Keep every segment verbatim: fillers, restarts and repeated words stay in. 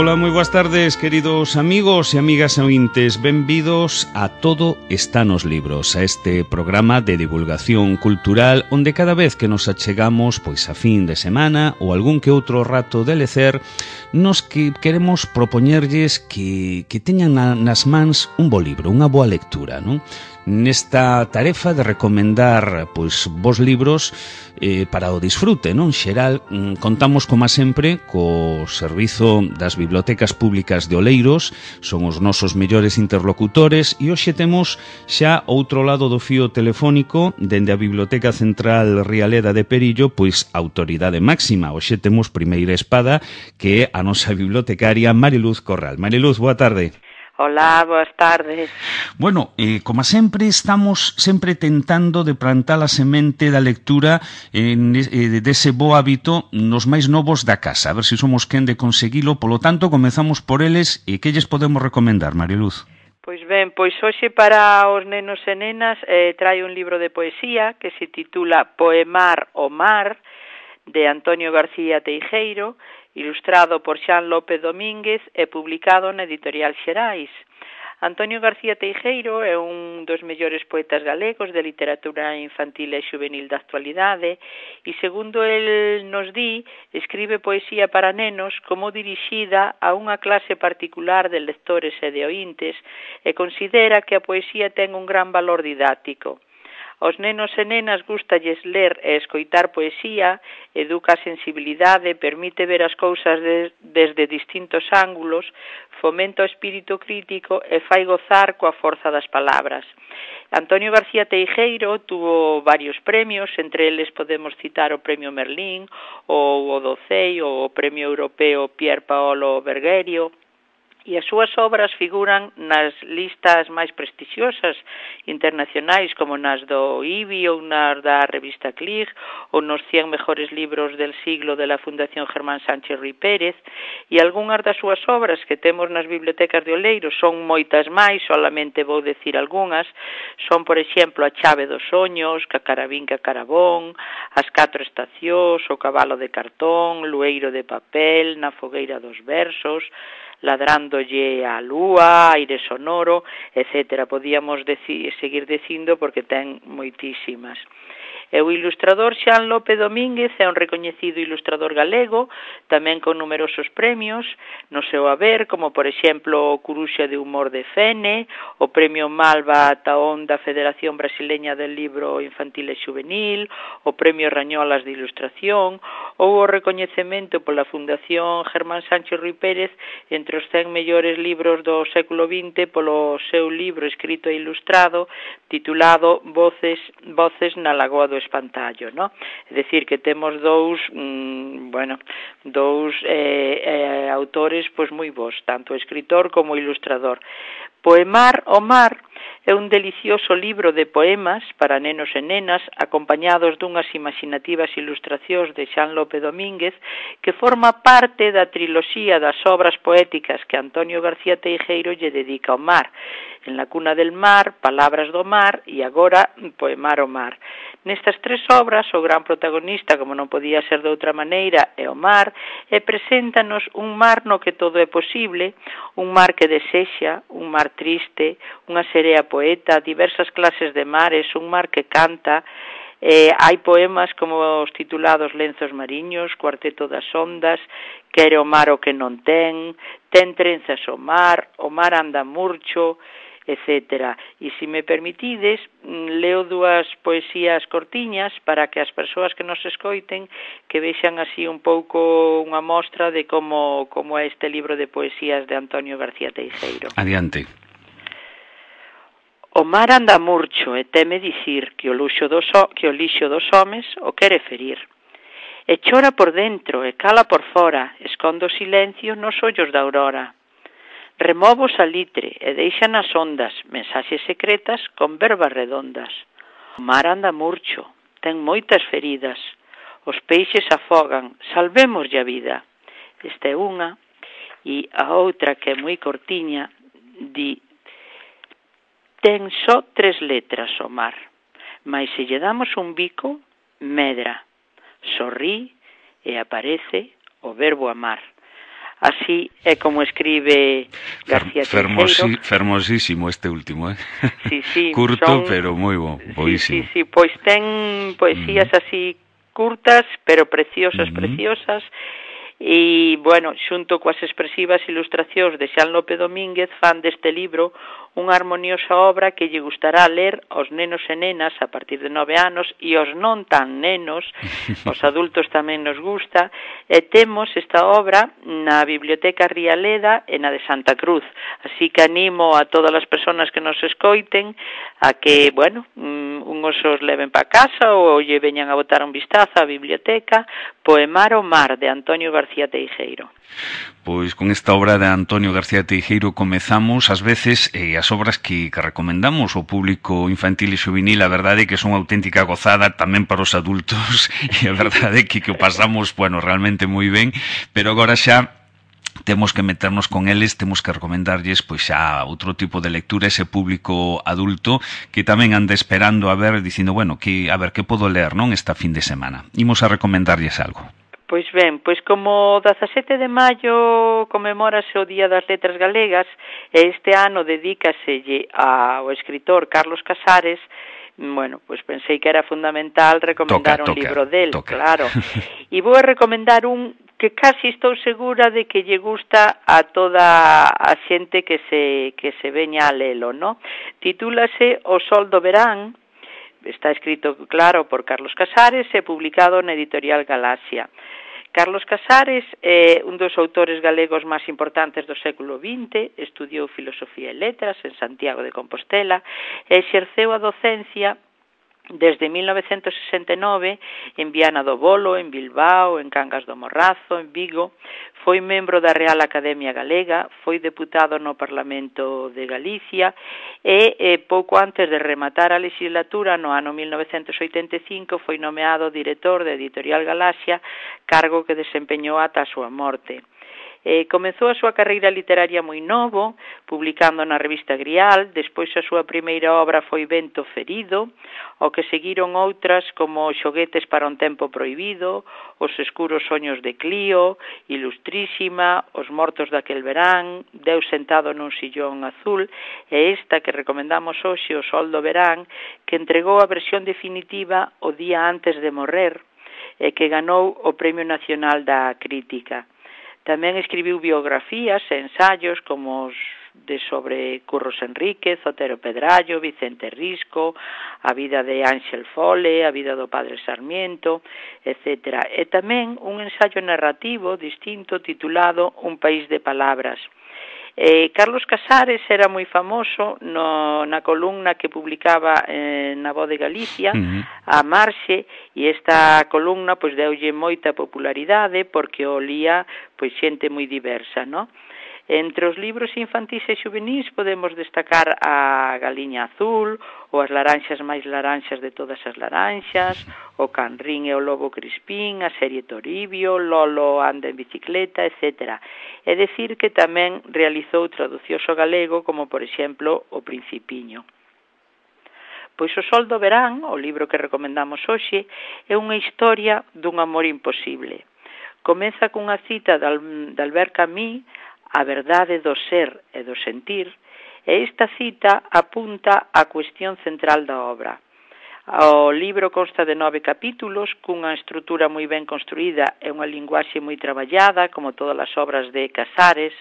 Ola, moi boas tardes, queridos amigos e amigas ointes. Benvidos a Todo está nos libros, a este programa de divulgación cultural onde cada vez que nos achegamos pois a fin de semana ou algún que outro rato de lecer, nos que queremos propoñerlles que, que teñan na, nas mans un bo libro, unha boa lectura, non? Nesta tarefa de recomendar pois vos libros eh, para o disfrute, non? Xeral, contamos como sempre co servizo das bibliotecas públicas de Oleiros, son os nosos mellores interlocutores e hoxe temos xa outro lado do fío telefónico dende a Biblioteca Central Rialeda de Perillo, pois autoridade máxima. Hoxe temos primeira espada que é a nosa bibliotecaria Mariluz Corral. Mariluz, boa tarde. Hola, boas tardes. Bueno, eh, como sempre, estamos sempre tentando de plantar a semente da lectura en, eh, dese bo hábito nos máis novos da casa, a ver se somos quen de conseguilo. Polo tanto, comezamos por eles e que lles podemos recomendar, Mariluz? Pois ben, pois hoxe para os nenos e nenas eh, trae un libro de poesía que se titula Poemar o Mar, de Antonio García Teijeiro, ilustrado por Xan López Domínguez e publicado na Editorial Xerais. Antonio García Teijeiro é un dos mellores poetas galegos de literatura infantil e juvenil da actualidade e, segundo el nos di, escribe poesía para nenos como dirixida a unha clase particular de lectores e de ointes e considera que a poesía ten un gran valor didáctico. Aos nenos e nenas gústalles ler e escoitar poesía, educa a sensibilidade, permite ver as cousas de, desde distintos ángulos, fomenta o espírito crítico e fai gozar coa forza das palabras. Antonio García Teijeiro tuvo varios premios, entre eles podemos citar o Premio Merlín, ou o Docei, ou o Premio Europeo Pier Paolo Bergerio, e as súas obras figuran nas listas máis prestixiosas internacionais como nas do I B I ou nas da revista Clig ou nos cien mejores libros del siglo de la Fundación Germán Sánchez Ruy Pérez, e algunhas das súas obras que temos nas bibliotecas de Oleiros son moitas máis, solamente vou decir algunhas, son por exemplo A chave dos soños, Cacarabín Cacarabón, As catro estacións, O cabalo de cartón, Lueiro de papel, Na fogueira dos versos, Ladrándolle a lúa, Aire sonoro, etcétera. Podíamos deci, seguir dicindo porque ten moitísimas. E o ilustrador Xan López Domínguez é un recoñecido ilustrador galego, tamén con numerosos premios no seu haber, como por exemplo o Curuxa de Humor de Fene, o Premio Malva Taón da Federación Brasileña del Libro Infantil e Juvenil, o Premio Rañolas de Ilustración, ou o recoñecemento pola Fundación Germán Sánchez Ruy Pérez entre os cen mellores libros do século vinte polo seu libro escrito e ilustrado titulado Voces, Voces na Lagoa do Espantallo, ¿no? É dicir, que temos dous, mmm, bueno, dous eh, eh, autores pois moi bons, tanto escritor como ilustrador. Poemar o Mar é un delicioso libro de poemas para nenos e nenas acompañados dunhas imaginativas ilustracións de Xan López Domínguez que forma parte da triloxía das obras poéticas que Antonio García Teijeiro lle dedica ao mar. En la cuna del mar, Palabras do mar e agora Poemar o Mar. Nestas tres obras, o gran protagonista, como non podía ser de outra maneira, é o mar, e preséntanos un mar no que todo é posible, un mar que desexa, un mar triste, unha serea poeta, diversas clases de mares, un mar que canta. Eh, hai poemas como os titulados Lenzos mariños, Cuarteto das ondas, Quere o mar o que non ten, Ten trenzas o mar, O mar anda murcho, etcétera. E se me permitides, leo dúas poesías cortiñas para que as persoas que nos escoiten que vexan así un pouco unha mostra de como, como é este libro de poesías de Antonio García Teijeiro. Adiante. O mar anda murcho e teme dicir que o luxo dos o, que o lixo dos homes o quere ferir. E chora por dentro e cala por fora, esconde o silencio nos ollos da aurora. Remove o salitre e deixa nas ondas mensaxes secretas con verbas redondas. O mar anda murcho, ten moitas feridas, os peixes afogan, salvémoslle a vida. Esta é unha, e a outra que é moi cortiña, di: ten só tres letras o mar, mas se lle damos un bico, medra, sorrí e aparece o verbo amar. Así é como escribe García Teijeiro. Fermosísimo este último, eh? Sí, sí, curto, son, pero moi bo, boísimo. Sí, sí, sí, pois ten poesías mm. así curtas, pero preciosas, mm-hmm. preciosas, e, bueno, xunto coas expresivas ilustracións de Xan López Domínguez, fan deste libro unha armoniosa obra que lle gustará ler aos nenos e nenas a partir de nove anos e aos non tan nenos, aos adultos tamén nos gusta, e temos esta obra na Biblioteca Rialeda e na de Santa Cruz, así que animo a todas as persoas que nos escoiten a que, bueno, unhos os leven para casa ou lle veñan a botar un vistazo á biblioteca. Poemar o mar, de Antonio García Teijeiro. Pois con esta obra de Antonio García Teijeiro comezamos. Ás veces eh, as obras que, que recomendamos ao público infantil e juvenil, a verdade é que son auténtica gozada tamén para os adultos, e a verdade é que, que o pasamos, bueno, realmente moi ben, pero agora xa temos que meternos con eles, temos que recomendarlles pois xa outro tipo de lectura, ese público adulto que tamén anda esperando a ver, dicindo, bueno, que a ver que podo ler, non, esta fin de semana. Imos a recomendarlles algo. Pois ben, pois como dezasete de maio conmemórase o Día das Letras Galegas, e este ano dedícaselle ao escritor Carlos Casares, bueno, pois pensei que era fundamental recomendar toca, un toca, libro del, toca. Claro. E vou a recomendar un que casi estou segura de que lle gusta a toda a xente que se que se veña a lelo, ¿no? Titúlase O Sol do Verán, está escrito, claro, por Carlos Casares e publicado na editorial Galaxia. Carlos Casares é un dos autores galegos máis importantes do século vinte, estudiou Filosofía e Letras en Santiago de Compostela e exerceu a docencia desde mil novecentos sesenta e nove en Viana do Bolo, en Bilbao, en Cangas do Morrazo, en Vigo. Foi membro da Real Academia Galega, foi deputado no Parlamento de Galicia e eh, pouco antes de rematar a legislatura, no ano mil novecentos oitenta e cinco, foi nomeado director da Editorial Galaxia, cargo que desempeñou ata a súa morte. Eh, comezou a súa carreira literaria moi novo, publicando na revista Grial, despois a súa primeira obra foi Vento Ferido, ao que seguiron outras como Xoguetes para un tempo prohibido, Os escuros soños de Clío, Ilustrísima, Os mortos daquel verán, Deus sentado nun sillón azul, e esta que recomendamos hoxe, O Sol do Verán, que entregou a versión definitiva o día antes de morrer, e que ganou o Premio Nacional da Crítica. Tamén escribiu biografías e ensaios como os de sobre Curros Enríquez, Otero Pedrallo, Vicente Risco, a vida de Ángel Fole, a vida do padre Sarmiento, etcétera. E tamén un ensaio narrativo distinto titulado Un país de palabras. Eh, Carlos Casares era moi famoso no, na columna que publicaba eh, na Voz de Galicia, uh-huh. a Marxe, e esta columna pois deulle moita popularidade porque o lía pois xente moi diversa, no? Entre os libros infantís e xuvenís podemos destacar a Galiña Azul, ou As laranxas máis laranxas de todas as laranxas, o Canrín e o Lobo Crispín, a serie Toribio, Lolo anda en bicicleta, etcétera. É dicir que tamén realizou traducións ao galego, como por exemplo O Principiño. Pois O Sol do Verán, o libro que recomendamos hoxe, é unha historia dun amor imposible. Comeza cunha cita de Albert Camus, A verdade do ser e do sentir, e esta cita apunta á cuestión central da obra. O libro consta de nove capítulos, cunha estrutura moi ben construída e unha linguaxe moi traballada, como todas as obras de Casares.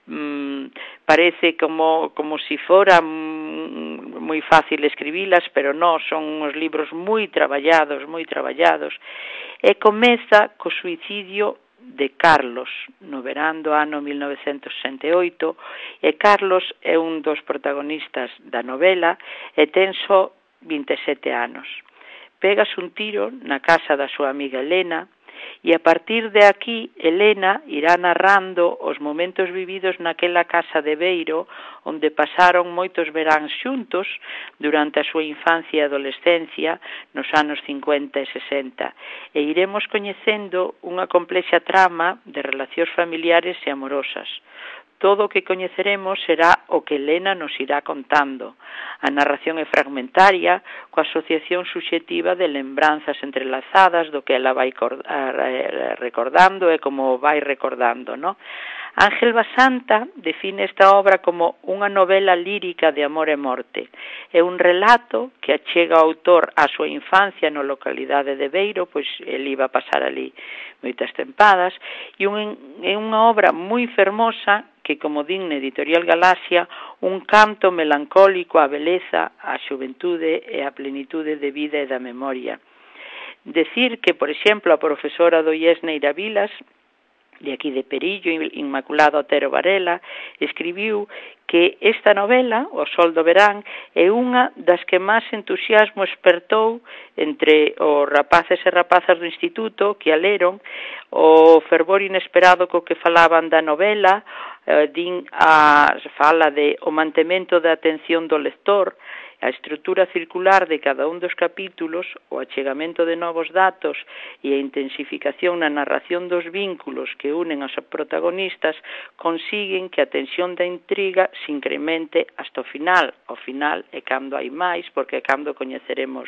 Mm, parece como, como si fora mm, moi fácil escribilas, pero non, son uns libros moi traballados, moi traballados, e comeza co suicidio de Carlos no verán do ano mil novecentos sesenta e oito, e Carlos é un dos protagonistas da novela e ten só vinte e sete anos. Pegas un tiro na casa da súa amiga Elena e a partir de aquí Elena irá narrando os momentos vividos naquela casa de Beiro onde pasaron moitos veráns xuntos durante a súa infancia e adolescencia nos anos cincuenta e sesenta, e iremos coñecendo unha complexa trama de relacións familiares e amorosas. todo o que coñeceremos será o que Helena nos irá contando. A narración é fragmentaria, coa asociación subxetiva de lembranzas entrelazadas do que ela vai recordando e como vai recordando, non? Ángel Basanta define esta obra como unha novela lírica de amor e morte. É un relato que achega ao autor á súa infancia na localidade de Beiro, pois ele iba a pasar ali moitas tempadas, e é unha obra moi fermosa que, como din na Editorial Galaxia, un canto melancólico á beleza, á xuventude e á plenitude de vida e da memoria. Decir que, por exemplo, a profesora do I E S Neira Vilas, de aquí de Perillo, Inmaculado Otero Varela, escribiu que esta novela, O Sol do Verán, é unha das que máis entusiasmo espertou entre os rapaces e rapazas do instituto que a leron, o fervor inesperado co que falaban da novela, eh, din a fala de o mantemento da atención do lector, a estrutura circular de cada un dos capítulos, o achegamento de novos datos e a intensificación na narración dos vínculos que unen aos protagonistas consiguen que a tensión da intriga se incremente hasta o final. O final é cando hai máis, porque é cando coñeceremos,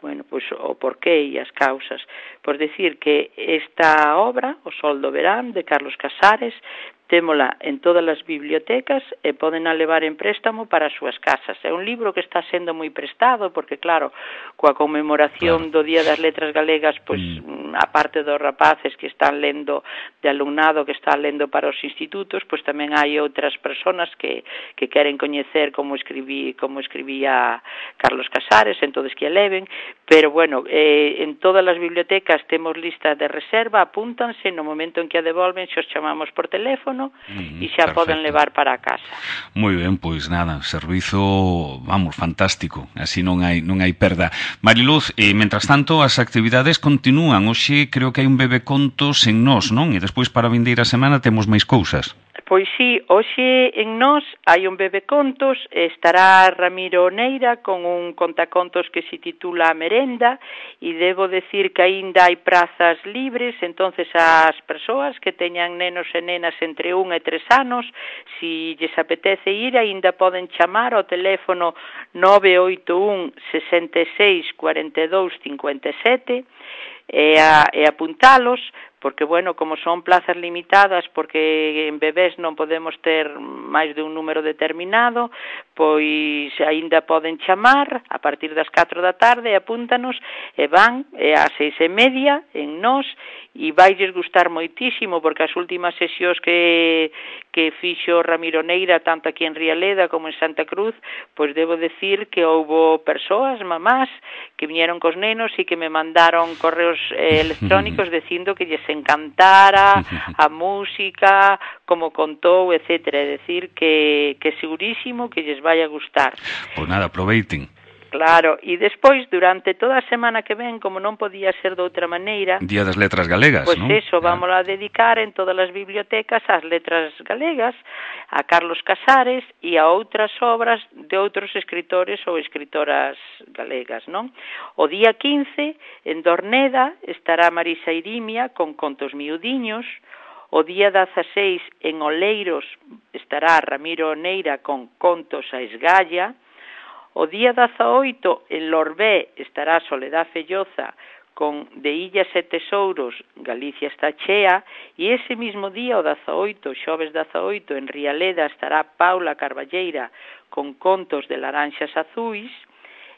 bueno, pois, o porqué e as causas. Por decir que esta obra, O Sol do Verán, de Carlos Casares, témola en todas as bibliotecas e poden a levar en préstamo para as súas casas. É un libro que está sendo moi prestado porque, claro, coa conmemoración claro. do Día das Letras Galegas, pois, mm. a parte dos rapaces que están lendo, de alumnado que está lendo para os institutos, pois tamén hai outras persoas que, que queren coñecer como escribí, como escribía Carlos Casares, entonces que a leven, pero, bueno, eh, en todas as bibliotecas temos lista de reserva, apúntanse, no momento en que a devolven, xos chamamos por teléfono, Mm, e xa perfecto. Poden levar para a casa. Moi ben, pois nada, servizo, vamos, fantástico, así non hai non hai perda. Mariluz, e mentras tanto as actividades continúan. Hoxe creo que hai un bebecontos en Nós, non? E despois para a vindeira semana temos máis cousas. Pois sí, hoxe en Nós hai un bebecontos, estará Ramiro Neira con un contacontos que se titula A Merenda, e debo decir que aínda hai prazas libres, entonces as persoas que teñan nenos e nenas entre un e tres anos, si lles apetece ir, aínda poden chamar ao teléfono nove oito un, sesenta e seis, cuarenta e dous, cincuenta e sete e, a, e apuntalos, porque, bueno, como son plazas limitadas, porque en bebés non podemos ter máis de un número determinado, pois aínda poden chamar a partir das catro da tarde, apúntanos, e van e ás seis e media en Nós, e vailles gustar moitísimo, porque as últimas sesións que, que fixo Ramiro Neira, tanto aquí en Rialeda como en Santa Cruz, pois debo decir que houbo persoas, mamás, que viñeron cos nenos e que me mandaron correos eh, electrónicos dicindo que lles encantara a música, como contou, etcétera. É dicir que, que segurísimo que lles vai a gustar. Pois nada, aproveiten. Claro, e despois, durante toda a semana que ven, como non podía ser de outra maneira... Día das Letras Galegas, pois non? Pois eso, vamos a dedicar en todas as bibliotecas ás letras galegas, a Carlos Casares e a outras obras de outros escritores ou escritoras galegas, non? O día quince, en Dorneda, estará Marisa Irimia con contos miudiños. O día dezaseis, en Oleiros, estará Ramiro Neira con contos a esgalla. O día dezaoito, en Lorbé, estará Soledad Felloza con De Illas e Tesouros, Galicia está chea, e ese mismo día, o dezaoito, xoves dezaoito, en Rialeda, estará Paula Carballeira con contos de laranxas azuis,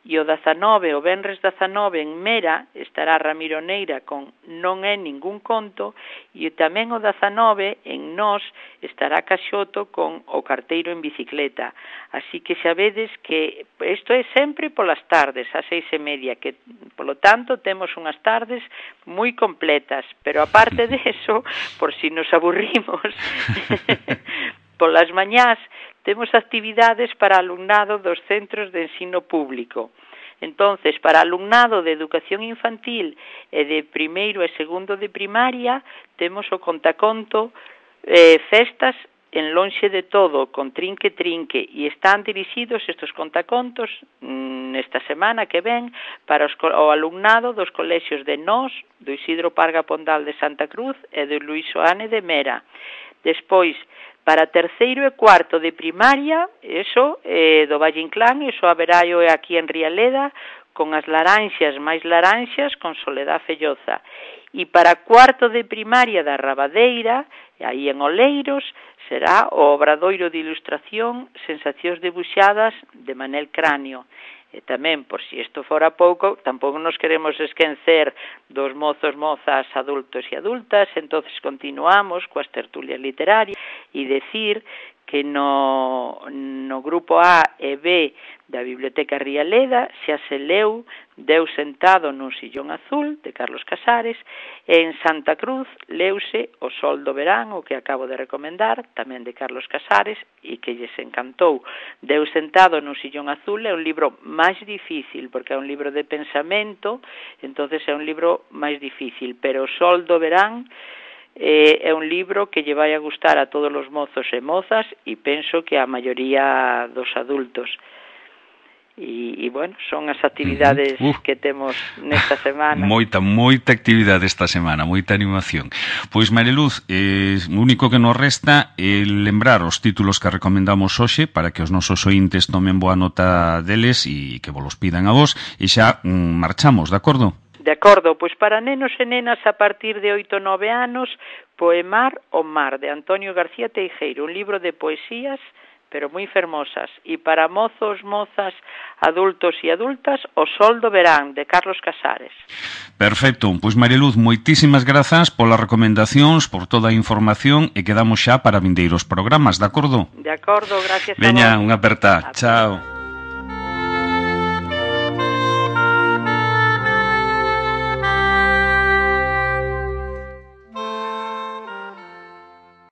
e o dezanove, o venres dezanove, en Mera, estará Ramiro Neira con Non é ningún conto, e tamén o dezanove, en Nós, estará Caxoto con O carteiro en bicicleta. Así que xa vedes que isto é sempre polas tardes, ás seis e media, que, polo tanto, temos unhas tardes moi completas, pero aparte de eso, por si nos aburrimos, polas mañás, temos actividades para alumnado dos centros de ensino público. Entonces, para alumnado de educación infantil e de primeiro e segundo de primaria, temos o contaconto eh, Festas en lonxe de todo, con Trinque Trinque, e están dirixidos estes contacontos nesta semana que ven para os, o alumnado dos colexios de Nós, do Isidro Parga Pondal de Santa Cruz e do Luís Soane de Mera. Despois, Para terceiro e cuarto de primaria, eso, eh, do Valle Inclán, eso haberá eu aquí en Rialeda, con as laranxas máis laranxas, con Soledad Felloza. E para cuarto de primaria da Rabadeira, aí en Oleiros, será o Obradoiro de Ilustración Sensacións Debuxadas de Manel Cráneo. E tamén, por si isto fora pouco, tampouco nos queremos esquecer dos mozos, mozas, adultos e adultas, entonces continuamos coas tertulias literarias e decir que no, no grupo A e B da Biblioteca Rialeda xa se leu Deus sentado nun sillón azul, de Carlos Casares, e en Santa Cruz leuse O sol do verán, o que acabo de recomendar, tamén de Carlos Casares, e que lles encantou. Deus sentado nun sillón azul é un libro máis difícil, porque é un libro de pensamento, entonces é un libro máis difícil, pero O sol do verán eh, é un libro que lle vai a gustar a todos os mozos e mozas, e penso que a maioría dos adultos. E, e bueno, son as actividades uh, uh. que temos nesta semana. Moita, moita actividade esta semana, moita animación. Pois, Mariluz, eh, o único que nos resta é lembrar os títulos que recomendamos hoxe para que os nosos ointes tomen boa nota deles e que vos los pidan a vos, e xa mm, marchamos, de acordo? De acordo, pois para nenos e nenas a partir de oito a nove anos, Poemar o mar, de Antonio García Teijeiro, un libro de poesías pero moi fermosas. E para mozos, mozas, adultos e adultas, O sol do verán, de Carlos Casares. Perfecto. Pois, Mariluz, moitísimas grazas polas recomendacións, por toda a información, e quedamos xa para vindeiros programas, de acordo? De acordo, gracias a vos. Veña, unha aperta. Chao.